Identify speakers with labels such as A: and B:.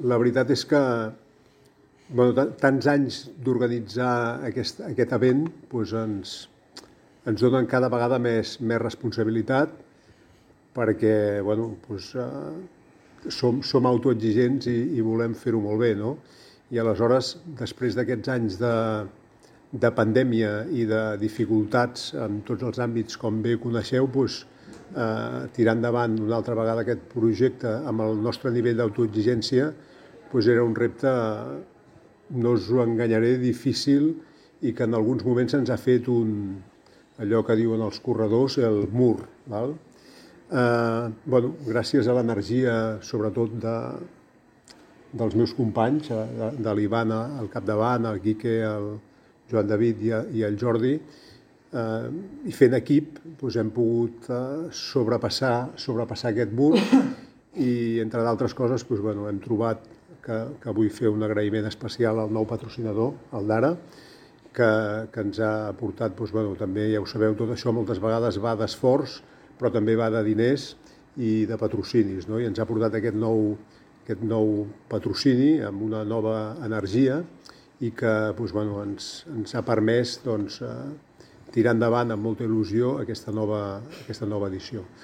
A: La veritat és que tants anys d'organitzar aquest event ens donen cada vegada més responsabilitat perquè som autoexigents i volem fer-ho molt bé, no? I aleshores, després d'aquests anys de pandèmia i de dificultats en tots els àmbits, com bé coneixeu, tirar endavant una altra vegada aquest projecte amb el nostre nivell d'autoexigència era un repte, no us ho enganyaré, difícil i que en alguns moments ens ha fet allò que diuen els corredors, el mur. Val? Gràcies a l'energia, sobretot dels meus companys, de l'Ivan al capdavant, el Quique, el Joan David i el Jordi, i fent equip hem pogut sobrepassar aquest mur i, entre d'altres coses, hem trobat que vull fer un agraïment especial al nou patrocinador, el Dara, que ens ha aportat, també, ja ho sabeu, tot això moltes vegades va d'esforç, però també va de diners i de patrocinis, no? I ens ha portat aquest nou patrocini amb una nova energia i que ens ha permès tirar endavant amb molta il·lusió aquesta nova edició.